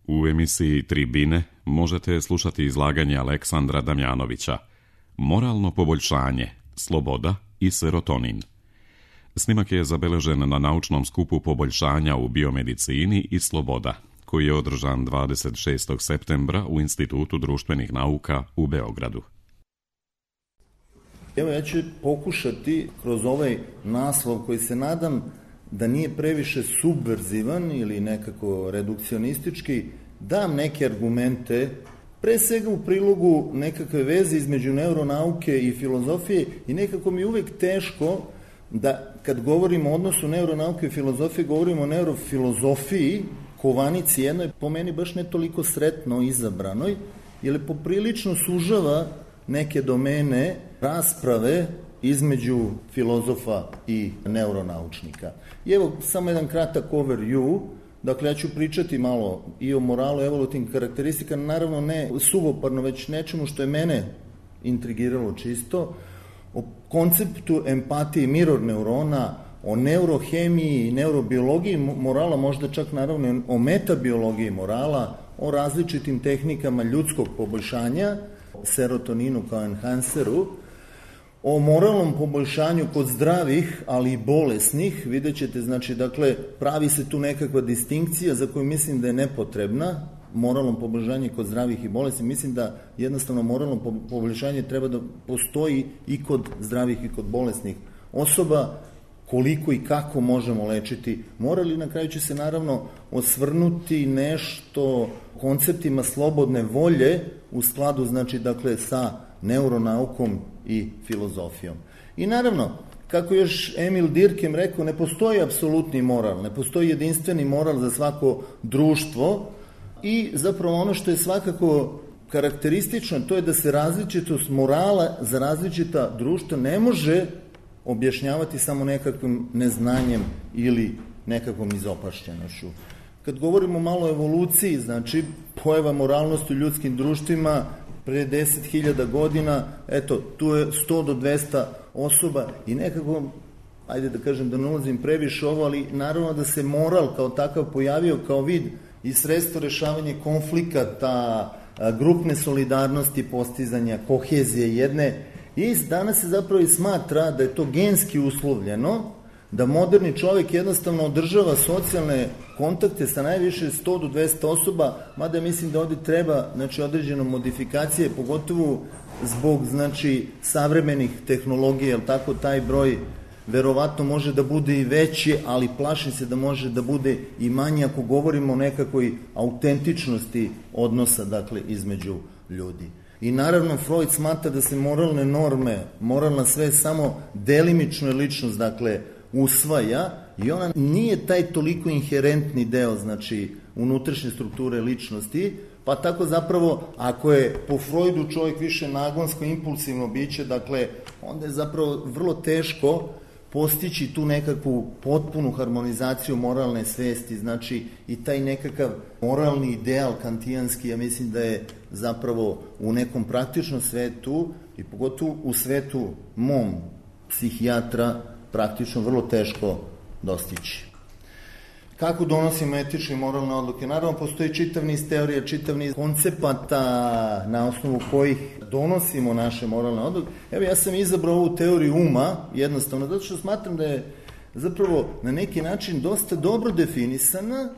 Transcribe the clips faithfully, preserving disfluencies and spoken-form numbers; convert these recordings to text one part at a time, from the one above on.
U emisiji Tribine možete slušati izlaganje Aleksandra Damjanovića Moralno poboljšanje, sloboda i serotonin. Snimak je zabeležen na naučnom skupu poboljšanja u biomedicini i sloboda, koji je održan dvadeset šestog septembra u Institutu društvenih nauka u Beogradu. Evo, ja ću pokušati kroz ovaj naslov koji se nadam da nije previše subverzivan ili nekako redukcionistički, dam neke argumente, pre svega u prilogu nekakve veze između neuronauke i filozofije, i nekako mi je uvek teško da kad govorimo o odnosu neuronauke i filozofije, govorimo o neurofilozofiji, kovanici jednoj, po meni baš ne toliko sretno izabranoj, jer je poprilično sužava neke domene rasprave između filozofa i neuronaučnika. I evo, samo jedan kratak overview. Dakle, ja ću pričati malo i o moralu, evolutivnim karakteristikama, naravno ne suvoparno, već nečemu što je mene intrigiralo čisto, o konceptu empatije mirror neurona, o neurohemiji i neurobiologiji morala, možda čak naravno o metabiologiji morala, o različitim tehnikama ljudskog poboljšanja, serotoninu kao enhanceru, o moralnom poboljšanju kod zdravih, ali i bolesnih. Vidjet ćete, znači, dakle, pravi se tu nekakva distinkcija za koju mislim da je nepotrebna, moralno poboljšanje kod zdravih i bolesnih. Mislim da jednostavno moralno poboljšanje treba da postoji i kod zdravih i kod bolesnih osoba. Koliko i kako možemo lečiti moral, i na kraju će se naravno osvrnuti nešto konceptima slobodne volje u skladu, znači, dakle, sa neuronaukom i filozofijom. I naravno, kako još Emil Durkheim rekao, ne postoji apsolutni moral, ne postoji jedinstveni moral za svako društvo, i zapravo ono što je svakako karakteristično, to je da se različitost morala za različita društva ne može objašnjavati samo nekakvim neznanjem ili nekakvom izopašćenošću. Kad govorimo malo o evoluciji, znači pojava moralnosti u ljudskim društvima pre deset hiljada godina, eto, tu je sto do dvesta osoba i nekako, ajde da kažem da ne ulazim previše ovo, ali naravno da se moral kao takav pojavio kao vid i sredstvo rešavanja konflikata, grupne solidarnosti, postizanja kohezije jedne. I danas se zapravo i smatra da je to genski uslovljeno, da moderni čovjek jednostavno održava socijalne kontakte sa najviše sto do dvesta osoba, mada mislim da ovdje treba, znači, određeno modifikacije, pogotovo zbog, znači, savremenih tehnologija, jer tako taj broj verovatno može da bude i veći, ali plašim se da može da bude i manji ako govorimo o nekakvoj autentičnosti odnosa, dakle, između ljudi. I naravno Freud smatra da se moralne norme, moralna svest samo delimično je ličnost, dakle, usvaja, i ona nije taj toliko inherentni deo, znači, unutrašnje strukture ličnosti, pa tako zapravo, ako je po Freudu čovjek više nagonsko, impulsivno biće, dakle, onda je zapravo vrlo teško postići tu nekakvu potpunu harmonizaciju moralne svesti, znači i taj nekakav moralni ideal kantijanski, ja mislim da je zapravo u nekom praktičnom svetu i pogotovo u svetu mom psihijatra praktično vrlo teško dostići. Kako donosimo etične i moralne odluke? Naravno, postoji čitav niz teorija, čitav niz koncepata na osnovu kojih donosimo naše moralne odluke. Evo, ja sam izabrao ovu teoriju uma, jednostavno, zato što smatram da je zapravo na neki način dosta dobro definisana,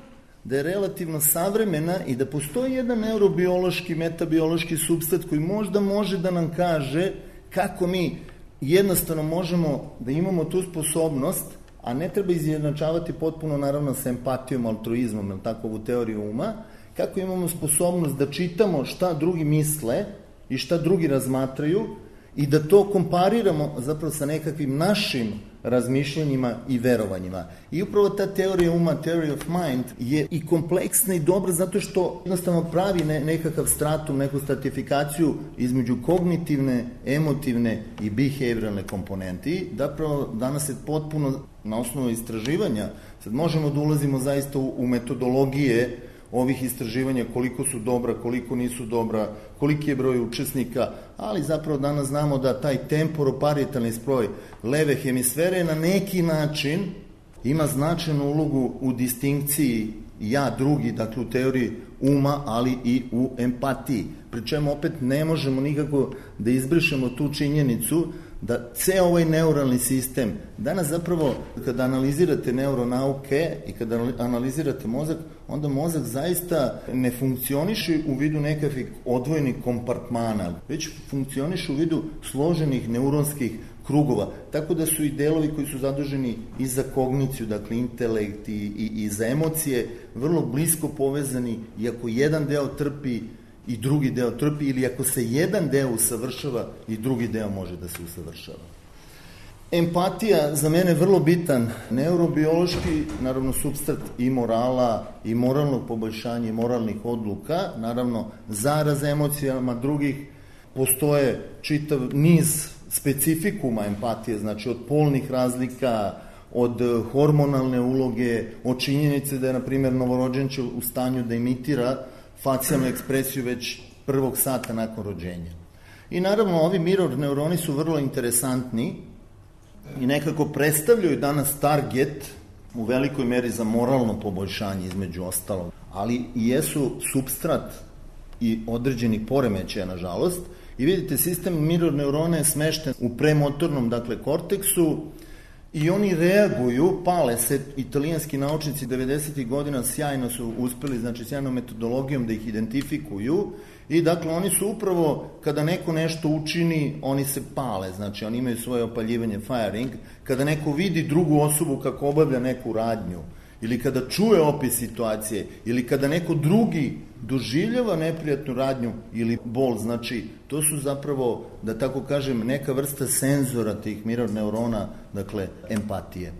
da je relativno savremena i da postoji jedan neurobiološki, metabiološki supstat koji možda može da nam kaže kako mi jednostavno možemo da imamo tu sposobnost, a ne treba izjednačavati potpuno, naravno, sa empatijom, altruizmom, ili tako, ovu teoriju uma, kako imamo sposobnost da čitamo šta drugi misle i šta drugi razmatraju i da to kompariramo zapravo sa nekakvim našim razmišljanjima i verovanjima. I upravo ta teorija uma, theory of mind, je i kompleksna i dobra zato što jednostavno pravi ne, nekakav stratum, neku stratifikaciju između kognitivne, emotivne i behavioralne komponente. I zapravo danas je potpuno na osnovu istraživanja, sad možemo da ulazimo zaista u, u metodologije ovih istraživanja, koliko su dobra, koliko nisu dobra, koliki je broj učesnika, ali zapravo danas znamo da taj temporoparietalni spoj leve hemisfere na neki način ima značajnu ulogu u distinkciji ja drugi, dakle u teoriji uma, ali i u empatiji. Pri čemu opet ne možemo nikako da izbrišemo tu činjenicu da ceo ovaj neuralni sistem, danas zapravo kada analizirate neuronauke i kada analizirate mozak, onda mozak zaista ne funkcioniše u vidu nekakvih odvojenih kompartmana, već funkcioniše u vidu složenih neuronskih krugova, tako da su i delovi koji su zaduženi i za kogniciju, dakle intelekt i, i, i za emocije, vrlo blisko povezani, i ako jedan deo trpi i drugi deo trpi, ili ako se jedan deo usavršava i drugi deo može da se usavršava. Empatija za mene je vrlo bitan neurobiološki, naravno supstrat i morala i moralnog poboljšanja i moralnih odluka, naravno zaraz emocijama drugih. Postoje čitav niz specifikuma empatije, znači od polnih razlika, od hormonalne uloge, od činjenice da je, na primjer, novorođenče u stanju da imitira facijalnu ekspresiju već prvog sata nakon rođenja. I naravno, ovi mirror neuroni su vrlo interesantni i nekako predstavljaju danas target u velikoj meri za moralno poboljšanje, između ostalog, ali i jesu supstrat i određenih poremećaja, nažalost. I vidite, sistem mirror neurona je smešten u premotornom, dakle, korteksu, i oni reaguju, pale se. Italijanski naučnici devedesetih godina sjajno su uspeli, znači sjajnom metodologijom da ih identifikuju, i dakle oni su upravo, kada neko nešto učini, oni se pale, znači oni imaju svoje opaljivanje, firing. Kada neko vidi drugu osobu kako obavlja neku radnju, ili kada čuje opis situacije, ili kada neko drugi doživljava neprijatnu radnju ili bol, znači to su zapravo, da tako kažem, neka vrsta senzora tih mirror neurona, dakle empatije.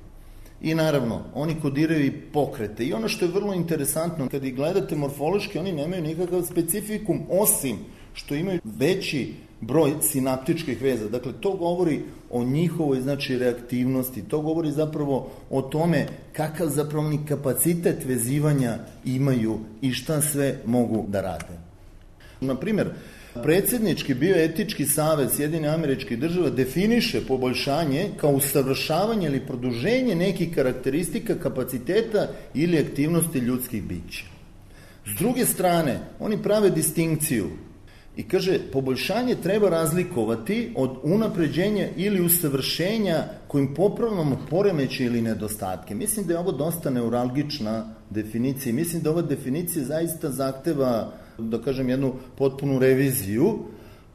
I naravno, oni kodiraju i pokrete. I ono što je vrlo interesantno, kad ih gledate morfološki, oni nemaju nikakav specifikum, osim što imaju veći broj sinaptičkih veza. Dakle, to govori o njihovoj, znači, reaktivnosti, to govori zapravo o tome kakav zapravo ni kapacitet vezivanja imaju i šta sve mogu da rade. Naprimjer, predsjednički bioetički savez Sjedinjenih Američkih Država definiše poboljšanje kao usavršavanje ili produženje nekih karakteristika, kapaciteta ili aktivnosti ljudskih bića. S druge strane, oni prave distinkciju i kaže, poboljšanje treba razlikovati od unapređenja ili usavršenja kojim popravljamo poremeće ili nedostatke. Mislim da je ovo dosta neuralgična definicija. Mislim da ova definicija zaista zahteva, da kažem, jednu potpunu reviziju,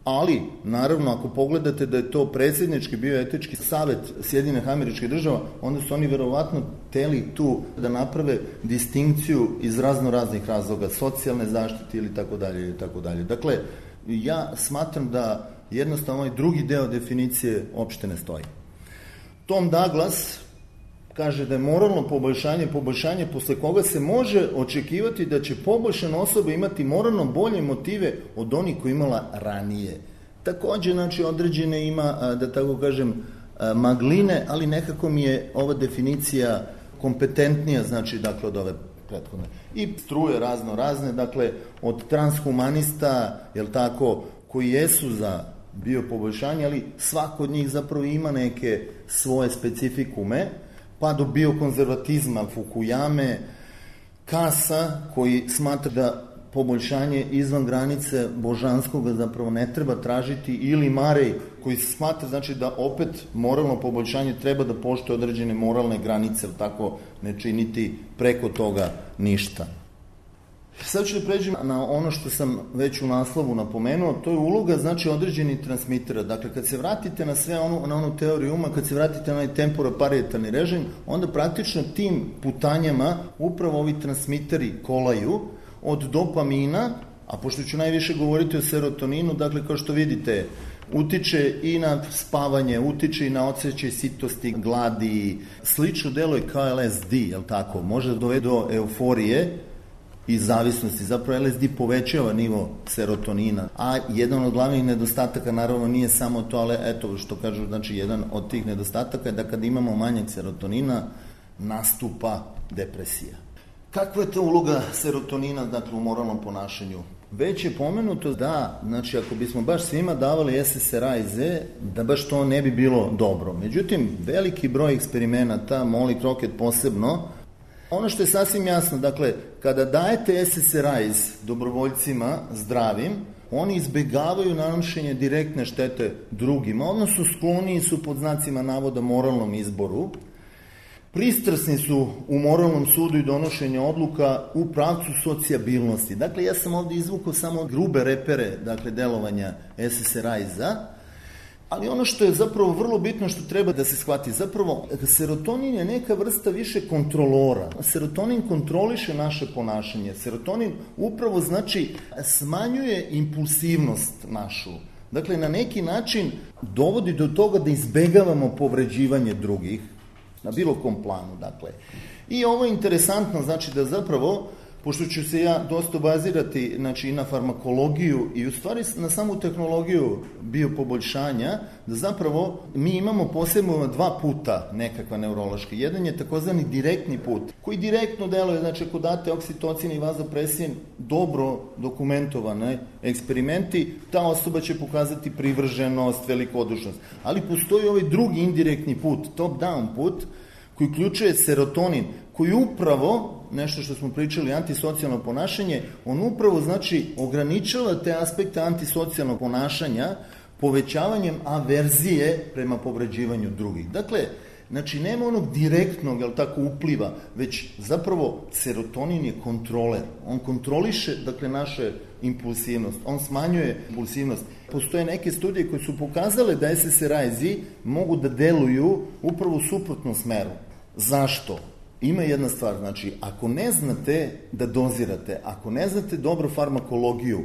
ali, naravno, ako pogledate da je to predsjednički bioetički savet Sjedinjenih Američkih Država, onda su oni verovatno teli tu da naprave distinkciju iz razno raznih razloga, socijalne zaštite ili tako dalje ili tako dalje. Dakle, ja smatram da jednostavno ovaj drugi deo definicije uopšte ne stoji. Tom Douglas kaže da je moralno poboljšanje poboljšanje posle koga se može očekivati da će poboljšana osoba imati moralno bolje motive od onih koji imala ranije. Takođe, znači, određene ima, da tako kažem, magline, ali nekako mi je ova definicija kompetentnija, znači, dakle, od ove prethodne. I struje razno razne, dakle, od transhumanista, jel tako, koji jesu za biopoboljšanje, ali svako od njih zapravo ima neke svoje specifikume, pa do biokonzervatizma Fukuyame, Kasa, koji smatra da poboljšanje izvan granice božanskoga zapravo ne treba tražiti, ili Marej, koji smatra, znači, da opet moralno poboljšanje treba da poštuje određene moralne granice, tako ne činiti preko toga ništa. Sad ću da pređem na ono što sam već u naslovu napomenuo, to je uloga, znači, određenih transmitera. Dakle, kad se vratite na sve ono, na onu teoriju uma, kad se vratite na onaj temporoparietalni režim, onda praktično tim putanjama upravo ovi transmiteri kolaju od dopamina, a pošto ću najviše govoriti o serotoninu, dakle, kao što vidite, utiče i na spavanje, utiče i na osjećaj sitosti, gladi, slično deluje kao L S D, jel tako, može da dovede do euforije i zavisnosti. Zapravo L S D povećava nivo serotonina, a jedan od glavnih nedostataka naravno nije samo to, ali eto što kažu, znači jedan od tih nedostataka je da kad imamo manjak serotonina nastupa depresija. Kakva je to uloga serotonina, dakle, u moralnom ponašanju? Već je pomenuto da, znači, ako bismo baš svima davali S S R I Z, da baš to ne bi bilo dobro. Međutim, veliki broj eksperimenata, Molly Crockett posebno, Ono što je sasvim jasno, dakle, kada dajete S S R I Z dobrovoljcima zdravim, oni izbegavaju nanošenje direktne štete drugima, odnosno skloniji su pod znacima navoda moralnom izboru, pristrasni su u moralnom sudu i donošenju odluka u pravcu socijabilnosti. Dakle, ja sam ovdje izvukao samo grube repere, dakle, delovanja S S R I Z-a, ali ono što je zapravo vrlo bitno, što treba da se shvati, zapravo serotonin je neka vrsta više kontrolora. Serotonin kontroliše naše ponašanje. Serotonin upravo znači smanjuje impulsivnost našu. Dakle, na neki način dovodi do toga da izbegavamo povređivanje drugih na bilo kom planu. Dakle. I ovo je interesantno, znači da zapravo, pošto ću se ja dosta bazirati, znači, i na farmakologiju i u stvari na samu tehnologiju biopoboljšanja, da zapravo mi imamo posebno dva puta nekakva neurološka. Jedan je takozvani direktni put, koji direktno deluje, znači ako date oksitocin i vazopresin, dobro dokumentovane eksperimenti, ta osoba će pokazati privrženost, velikodušnost. Ali postoji ovaj drugi indirektni put, top-down put, koji uključuje serotonin, koji upravo, nešto što smo pričali, antisocijalno ponašanje, on upravo, znači, ograničava te aspekte antisocijalnog ponašanja povećavanjem averzije prema povređivanju drugih. Dakle, znači, nema onog direktnog, jel tako, upliva, već zapravo serotonin je kontroler. On kontroliše, dakle, naše impulsivnost, on smanjuje impulsivnost. Postoje neke studije koje su pokazale da S S R I Z mogu da deluju upravo u suprotnom smeru. Zašto? Ima jedna stvar, znači, ako ne znate da dozirate, ako ne znate dobro farmakologiju,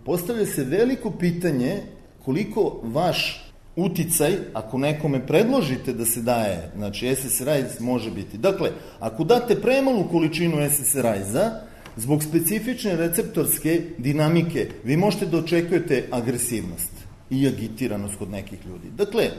postavlja se veliko pitanje koliko vaš uticaj, ako nekome predložite da se daje, znači S S R I Z može biti. Dakle, ako date premalu količinu S S R I Z-a, zbog specifične receptorske dinamike, vi možete da očekujete agresivnost i agitiranost kod nekih ljudi. Dakle,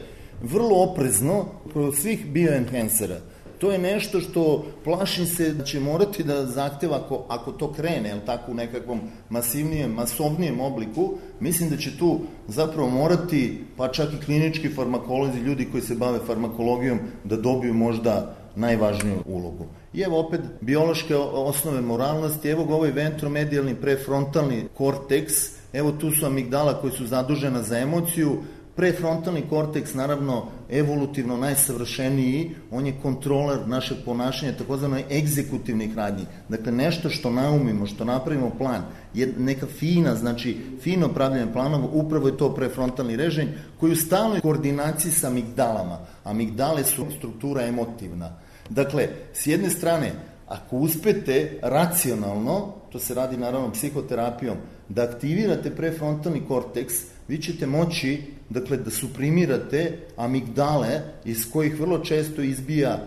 vrlo oprezno kod svih bioenhancera. To je nešto što plašim se da će morati da zahteva, ako, ako to krene, jel tako, u nekakvom masivnijem, masovnijem obliku, mislim da će tu zapravo morati, pa čak i klinički farmakolozi, ljudi koji se bave farmakologijom, da dobiju možda najvažniju ulogu. I evo opet biološke osnove moralnosti, evo ga ovaj ventromedijalni prefrontalni korteks, evo tu su amigdala koji su zadužena za emociju. Prefrontalni korteks, naravno, evolutivno najsavršeniji, on je kontroler našeg ponašanja, takozvano egzekutivnih radnji. Dakle, nešto što naumimo, što napravimo plan, je neka fina, znači fino pravljanje planova, upravo je to prefrontalni režim, koji u stalnoj koordinaciji sa amigdalama. Amigdale su struktura emotivna. Dakle, s jedne strane, ako uspete racionalno, to se radi naravno psihoterapijom, da aktivirate prefrontalni korteks, vi ćete moći, dakle, da suprimirate amigdale, iz kojih vrlo često izbija,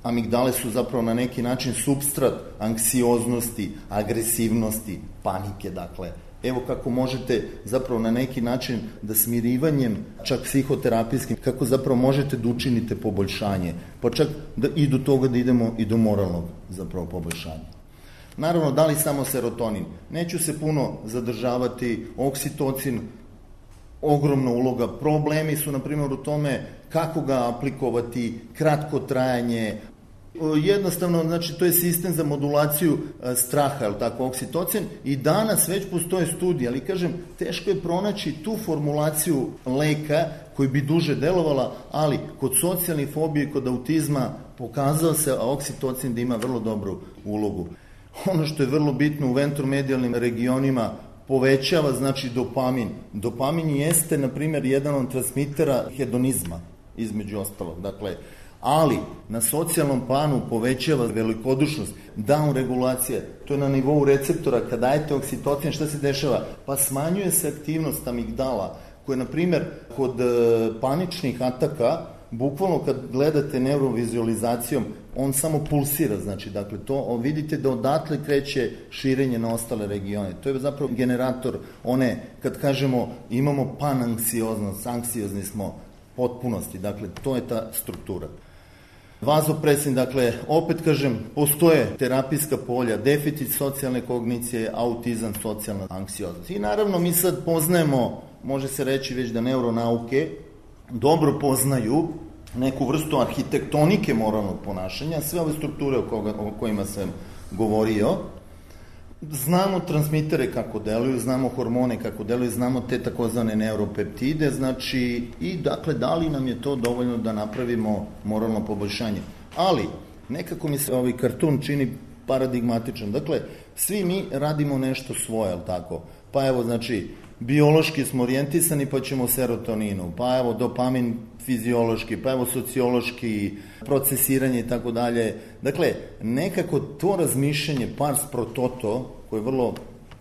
amigdale su zapravo na neki način supstrat anksioznosti, agresivnosti, panike, dakle. Evo kako možete zapravo na neki način da smirivanjem, čak psihoterapijskim, kako zapravo možete da učinite poboljšanje, pa čak da i do toga da idemo i do moralnog zapravo poboljšanja. Naravno, da li samo serotonin? Neću se puno zadržavati, oksitocin, ogromna uloga. Problemi su, na primjer, u tome kako ga aplikovati, kratko trajanje. Jednostavno, znači, to je sistem za modulaciju straha, je li tako, oksitocin, i danas već postoje studije, ali kažem, teško je pronaći tu formulaciju leka koji bi duže delovala, ali kod socijalnih fobija i kod autizma pokazao se oksitocin da ima vrlo dobru ulogu. Ono što je vrlo bitno u ventromedijalnim regionima, povećava, znači, dopamin. Dopamin jeste, na primjer, jedan od transmitera hedonizma, između ostalog. Dakle, ali na socijalnom planu povećava velikodušnost, down regulacija, to je na nivou receptora. Kad dajete oksitocin, šta se dešava? Pa smanjuje se aktivnost amigdala, koje, na primjer, kod paničnih ataka, bukvalno kad gledate neurovizualizacijom, on samo pulsira, znači, dakle, to vidite da odatle kreće širenje na ostale regione. To je zapravo generator one, kad kažemo imamo pananksioznost, anksiozni smo potpunosti, dakle, to je ta struktura. Vazopresin, dakle, opet kažem, postoje terapijska polja, deficit socijalne kognicije, autizam, socijalna anksioznost. I naravno mi sad poznajemo, može se reći već da neuronauke dobro poznaju neku vrstu arhitektonike moralnog ponašanja, sve ove strukture o, koga, o kojima sam govorio. Znamo transmitere kako deluju, znamo hormone kako deluju, znamo te takozvane neuropeptide, znači, i dakle, da li nam je to dovoljno da napravimo moralno poboljšanje. Ali, nekako mi se ovaj kartun čini paradigmatičan. Dakle, svi mi radimo nešto svoje, ali tako? Pa evo, znači, biološki smo orijentisani, pa ćemo serotoninu, pa evo dopamin fiziološki, pa evo sociološki, procesiranje i tako dalje. Dakle, nekako to razmišljanje pars pro toto, koje je vrlo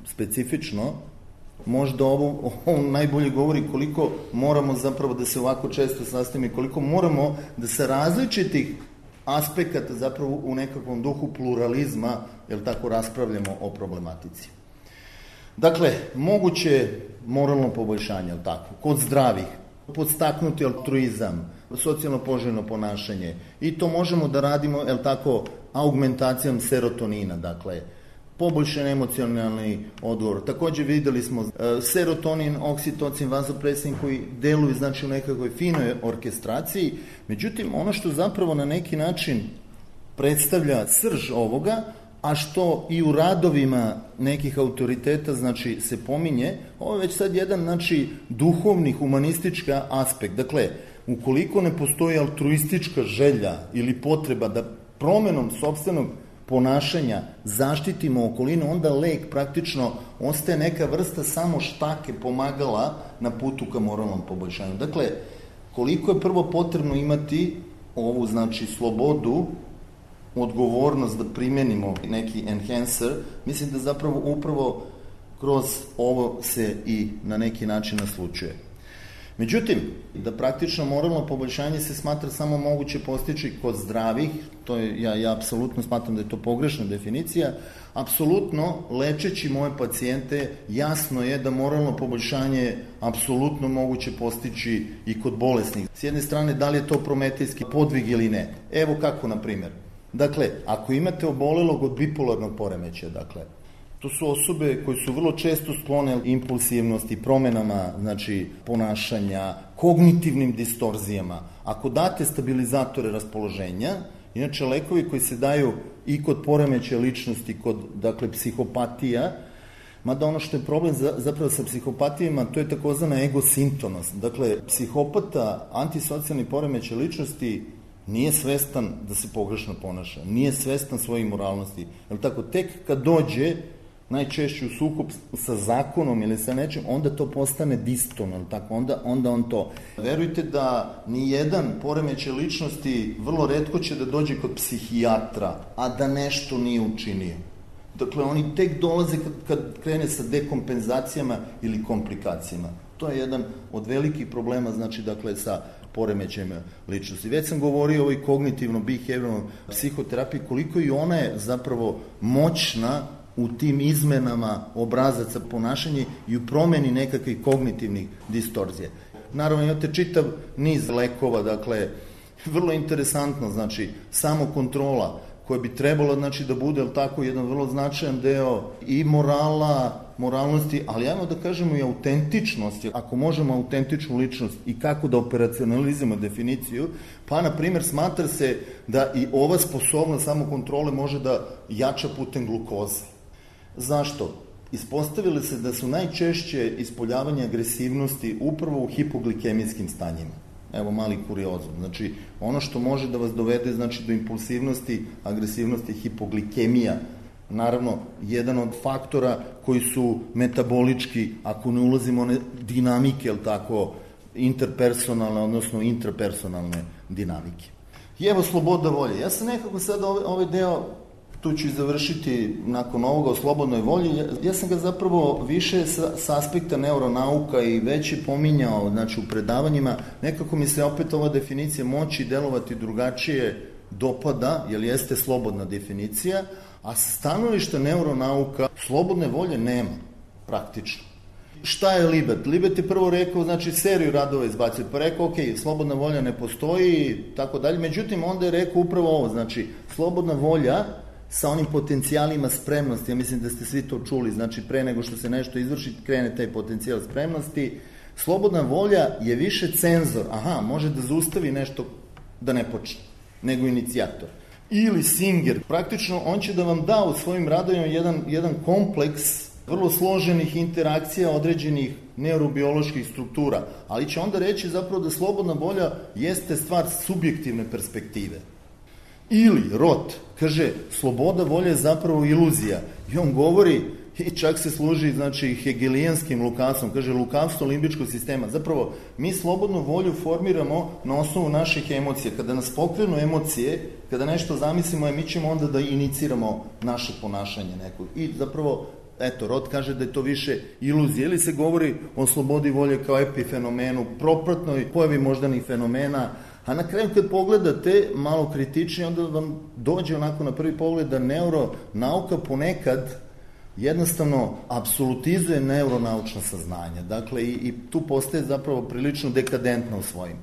specifično, možda ovo, ovo najbolje govori koliko moramo zapravo da se ovako često sastavimo, koliko moramo da sa različitih aspekata zapravo u nekakvom duhu pluralizma, jel tako, raspravljamo o problematici. Dakle, moguće moralno poboljšanje, jel tako, kod zdravih, podstaknuti altruizam, socijalno poželjno ponašanje, i to možemo da radimo, jel tako, augmentacijom serotonina, dakle, poboljšan emocionalni odgovor. Takođe videli smo e, serotonin, oksitocin, vazopresin koji deluju, znači, u nekakvoj finoj orkestraciji. Međutim, ono što zapravo na neki način predstavlja srž ovoga, a što i u radovima nekih autoriteta, znači, se pominje, ovo je već sad jedan, znači, duhovni, humanistički aspekt. Dakle, ukoliko ne postoji altruistička želja ili potreba da promenom sopstvenog ponašanja zaštitimo okolinu, onda lek praktično ostaje neka vrsta samo štake pomagala na putu ka moralnom poboljšanju. Dakle, koliko je prvo potrebno imati ovu, znači, slobodu, odgovornost da primenimo neki enhancer, mislim da zapravo upravo kroz ovo se i na neki način naslučuje. Međutim, da praktično moralno poboljšanje se smatra samo moguće postići kod zdravih, to je, ja, ja apsolutno smatram da je to pogrešna definicija, apsolutno lečeći moje pacijente jasno je da moralno poboljšanje apsolutno moguće postići i kod bolesnih. S jedne strane, da li je to prometejski podvig ili ne? Evo kako, na primjer. Dakle, ako imate obolelog od bipolarnog poremećaja, dakle, to su osobe koje su vrlo često sklone impulsivnosti, promenama, znači, ponašanja, kognitivnim distorzijama. Ako date stabilizatore raspoloženja, inače lekovi koji se daju i kod poremećaja ličnosti, kod, dakle, psihopatija, mada ono što je problem zapravo sa psihopatijama, to je takozvana egosintonost. Dakle, psihopata, antisocijalni poremećaj ličnosti, nije svestan da se pogrešno ponaša, nije svestan svoje moralnosti. Jel tako, tek kad dođe najčešće u sukob sa zakonom ili sa nečim, onda to postane diston, jel tako, onda, onda on to. Verujte da ni jedan poremećaj ličnosti vrlo retko će da dođe kod psihijatra, a da nešto nije učinio. Dakle, oni tek dolaze kad, kad krene sa dekompenzacijama ili komplikacijama. To je jedan od velikih problema, znači, dakle, sa poremećajima ličnosti. Već sam govorio o ovoj kognitivno-behavioralnoj psihoterapiji, koliko i ona je zapravo moćna u tim izmenama obrazaca ponašanja i u promeni nekakvih kognitivnih distorzija. Naravno, imate čitav niz lekova, dakle, vrlo interesantno, znači, samokontrola, koja bi trebala, znači, da bude, ali tako, jedan vrlo značajan deo i morala, moralnosti, ali ajmo da kažemo i autentičnosti. Ako možemo autentičnu ličnost i kako da operacionalizujemo definiciju, pa, na primjer, smatra se da i ova sposobnost samokontrole može da jača putem glukoze. Zašto? Ispostavili se da su najčešće ispoljavanje agresivnosti upravo u hipoglikemijskim stanjima. Evo mali kuriozum. Znači, ono što može da vas dovede, znači, do impulsivnosti, agresivnosti, hipoglikemija. Naravno, jedan od faktora koji su metabolički, ako ne ulazimo one dinamike, jel tako, interpersonalne, odnosno intrapersonalne dinamike. I evo sloboda volje. Ja sam nekako sad ovaj, ovaj deo, tu ću i završiti nakon ovoga o slobodnoj volji, ja, ja sam ga zapravo više sa, sa aspekta neuronauka i već je pominjao, znači, u predavanjima, nekako mi se opet ova definicija moći delovati drugačije dopada, jer jeste slobodna definicija, a sa stanovišta neuronauka slobodne volje nema, praktično. Šta je Libet? Libet je prvo rekao, znači, seriju radova izbacio, pa rekao, ok, slobodna volja ne postoji, tako dalje, međutim, onda je rekao upravo ovo, znači, slobodna volja sa onim potencijalima spremnosti, ja mislim da ste svi to čuli, znači, pre nego što se nešto izvrši, krene taj potencijal spremnosti. Slobodna volja je više cenzor, aha, može da zaustavi nešto da ne počne, nego inicijator. Ili Singer, praktično on će da vam da u svojim radovima jedan, jedan kompleks vrlo složenih interakcija određenih neurobioloških struktura, ali će onda reći zapravo da slobodna volja jeste stvar subjektivne perspektive. Ili Roth kaže, sloboda volje je zapravo iluzija i on govori i čak se služi znači hegelijanskim lukavstvom, kaže lukavstvo limbičkog sistema. Zapravo mi slobodnu volju formiramo na osnovu naših emocija. Kada nas pokrenu emocije, kada nešto zamislimo, mi ćemo onda da iniciramo naše ponašanje nekog. I zapravo eto, Roth kaže da je to više iluzija, ili se govori o slobodi volje kao epifenomenu, propratnoj pojavi moždanih fenomena, a na kraju kad pogledate malo kritičnije, onda vam dođe onako na prvi pogled da neuronauka ponekad jednostavno apsolutizuje neuronaučna saznanja. Dakle, i, i tu postaje zapravo prilično dekadentna u svojim.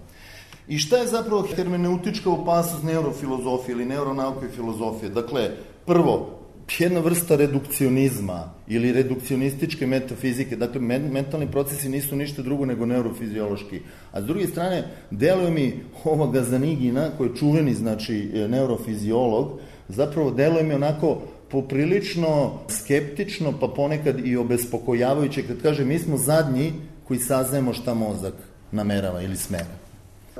I šta je zapravo hermeneutička opasnost neurofilozofije ili neuronauke i filozofije? Dakle, prvo, jedna vrsta redukcionizma ili redukcionističke metafizike, dakle mentalni procesi nisu ništa drugo nego neurofiziološki. A s druge strane, deluje mi ova Gazanigina, koji je čuveni, znači, neurofiziolog, zapravo deluje mi onako poprilično skeptično, pa ponekad i obespokojavajuće, kad kaže mi smo zadnji koji saznajemo šta mozak namerava ili smera.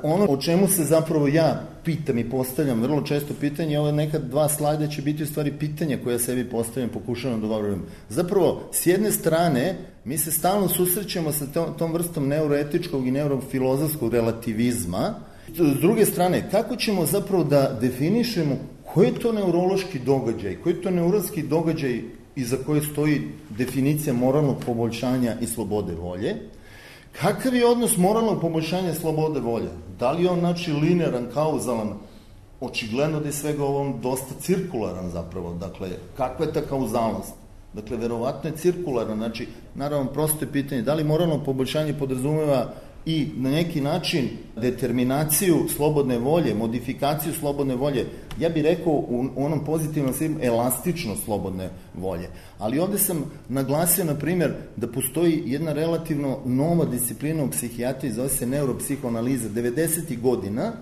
Ono o čemu se zapravo ja pitam i postavljam vrlo često pitanje, ove neka dva slajda će biti u stvari pitanja koje ja sebi postavljam, pokušavam da govorim. Zapravo, s jedne strane, mi se stalno susrećemo sa tom, tom vrstom neuroetičkog i neurofilozofskog relativizma. S druge strane, kako ćemo zapravo da definišemo koji je to neurološki događaj, koji je to neuronski događaj iza koje stoji definicija moralnog poboljšanja i slobode volje? Kakav je odnos moralnog poboljšanja slobode volje? Da li je on, znači, linearan, kauzalan? Očigledno da je svega ovom dosta cirkularan zapravo. Dakle, kakva je ta kauzalnost? Dakle, verovatno je cirkularna. Znači, naravno, prosto je pitanje, da li moralno poboljšanje podrazumeva i na neki način determinaciju slobodne volje, modifikaciju slobodne volje, ja bih rekao u onom pozitivnom smislu elastičnost slobodne volje. Ali ovde sam naglasio, na primjer, da postoji jedna relativno nova disciplina u psihijatriji, zove se neuropsihoanaliza, devedesetih godina,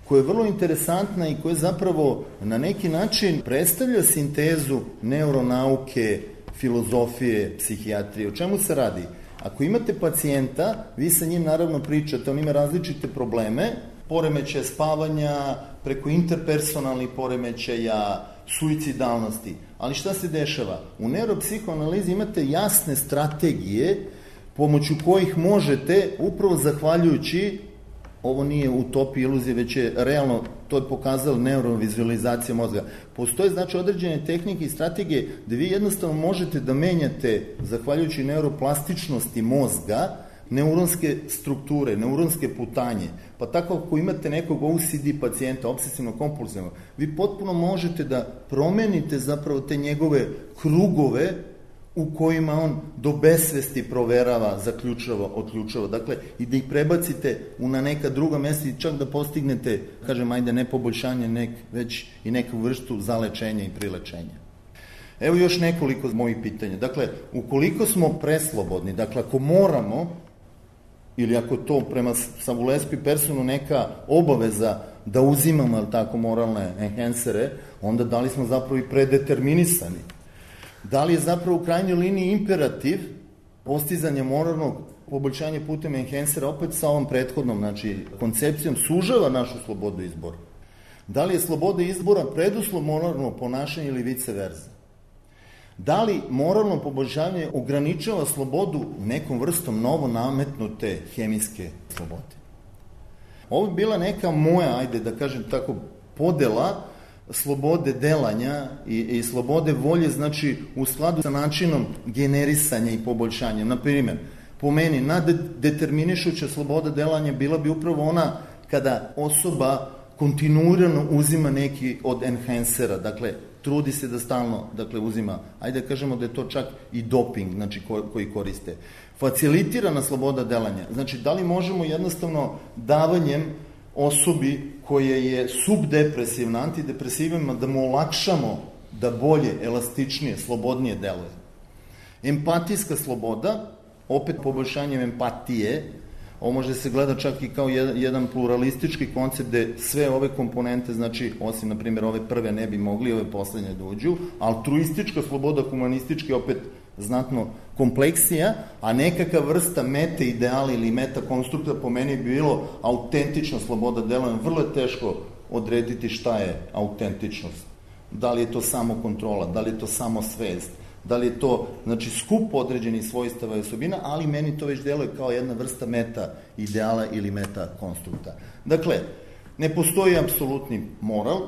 koja je vrlo interesantna i koja zapravo na neki način predstavlja sintezu neuronauke, filozofije, psihijatrije. O čemu se radi? Ako imate pacijenta, vi sa njim naravno pričate, on ima različite probleme, poremećaja spavanja, preko interpersonalnih poremećaja, suicidalnosti. Ali šta se dešava? U neuropsihoanalizi imate jasne strategije pomoću kojih možete, upravo zahvaljujući, ovo nije utopija, iluzija, već je realno, to je pokazala neurovizualizacija mozga. Postoje, znači, određene tehnike i strategije gde vi jednostavno možete da menjate, zahvaljujući neuroplastičnosti mozga, neuronske strukture, neuronske putanje. Pa tako ako imate nekog O C D pacijenta, obsesivno-kompulsivno, vi potpuno možete da promenite zapravo te njegove krugove u kojima on do besvesti proverava, zaključava, otključava. Dakle, i da ih prebacite u na neka druga mesta i čak da postignete, kažem, ajde, ne poboljšanje, nek, već i neku vrstu zalečenja i prilečenja. Evo još nekoliko mojih pitanja. Dakle, ukoliko smo preslobodni, dakle, ako moramo, ili ako to prema Savulesku i Personu neka obaveza da uzimamo, ali tako, moralne enhancere, onda da li smo zapravo i predeterminisani? Da li je zapravo u krajnjoj liniji imperativ postizanja moralnog poboljšanja putem enhancera opet sa ovom prethodnom, znači, koncepcijom sužava našu slobodu izbora? Da li je sloboda izbora preduslov moralnog ponašanja ili vice versa? Da li moralno poboljšanje ograničava slobodu nekom vrstom novo nametnute hemijske slobode? Ovo je bila neka moja, ajde da kažem tako, podela slobode delanja i, i slobode volje, znači u skladu sa načinom generisanja i poboljšanja. Na primjer, po meni, naddeterminišuća sloboda delanja bila bi upravo ona kada osoba kontinuirano uzima neki od enhancera, dakle, trudi se da stalno, dakle, uzima, ajde da kažemo da je to čak i doping, znači, ko, koji koriste. Facilitirana sloboda delanja, znači, da li možemo jednostavno davanjem osobi koja je subdepresivna, antidepresivima, da mu olakšamo da bolje, elastičnije, slobodnije deluje. Empatijska sloboda, opet poboljšanjem empatije, ovo može se gleda čak i kao jedan, jedan pluralistički koncept gde sve ove komponente, znači osim na primjer ove prve ne bi mogli, ove poslednje da uđu, altruistička sloboda, humanistički opet znatno kompleksija, a nekakva vrsta meta ideala ili meta konstrukta po meni bi bilo autentična sloboda delovanja. Vrlo je teško odrediti šta je autentičnost. Da li je to samo kontrola, da li je to samo svest, da li je to, znači, skup određenih svojstava i osobina, ali meni to već deluje kao jedna vrsta meta ideala ili meta konstrukta. Dakle, ne postoji apsolutni moral,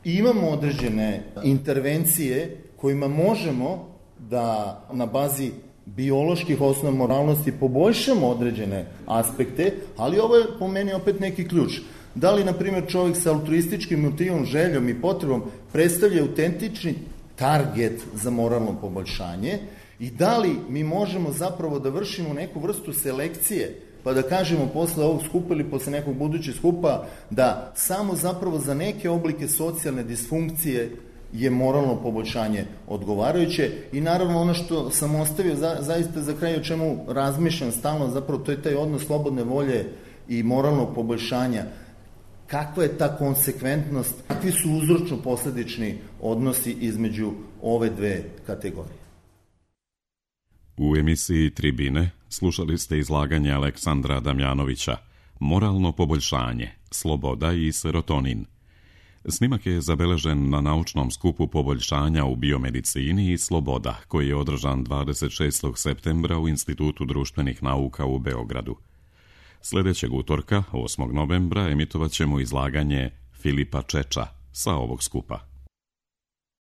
imamo određene intervencije kojima možemo da na bazi bioloških osnova moralnosti poboljšamo određene aspekte, ali ovo je po meni opet neki ključ. Da li, na primjer, čovjek sa altruističkim motivom, željom i potrebom predstavlja autentični target za moralno poboljšanje i da li mi možemo zapravo da vršimo neku vrstu selekcije, pa da kažemo posle ovog skupa ili posle nekog budućeg skupa da samo zapravo za neke oblike socijalne disfunkcije je moralno poboljšanje odgovarajuće. I naravno ono što sam ostavio za, zaista za kraj, o čemu razmišljam stalno, zapravo to je taj odnos slobodne volje i moralnog poboljšanja. Kakva je ta konsekventnost, kakvi su uzročno-posledični odnosi između ove dve kategorije? U emisiji Tribine slušali ste izlaganje Aleksandra Damjanovića Moralno poboljšanje, sloboda i serotonin. Snimak je zabeležen na naučnom skupu poboljšanja u biomedicini i sloboda, koji je održan dvadeset šestog septembra u Institutu društvenih nauka u Beogradu. Sljedećeg utorka, osmog novembra, emitovat ćemo izlaganje Filipa Čeča sa ovog skupa.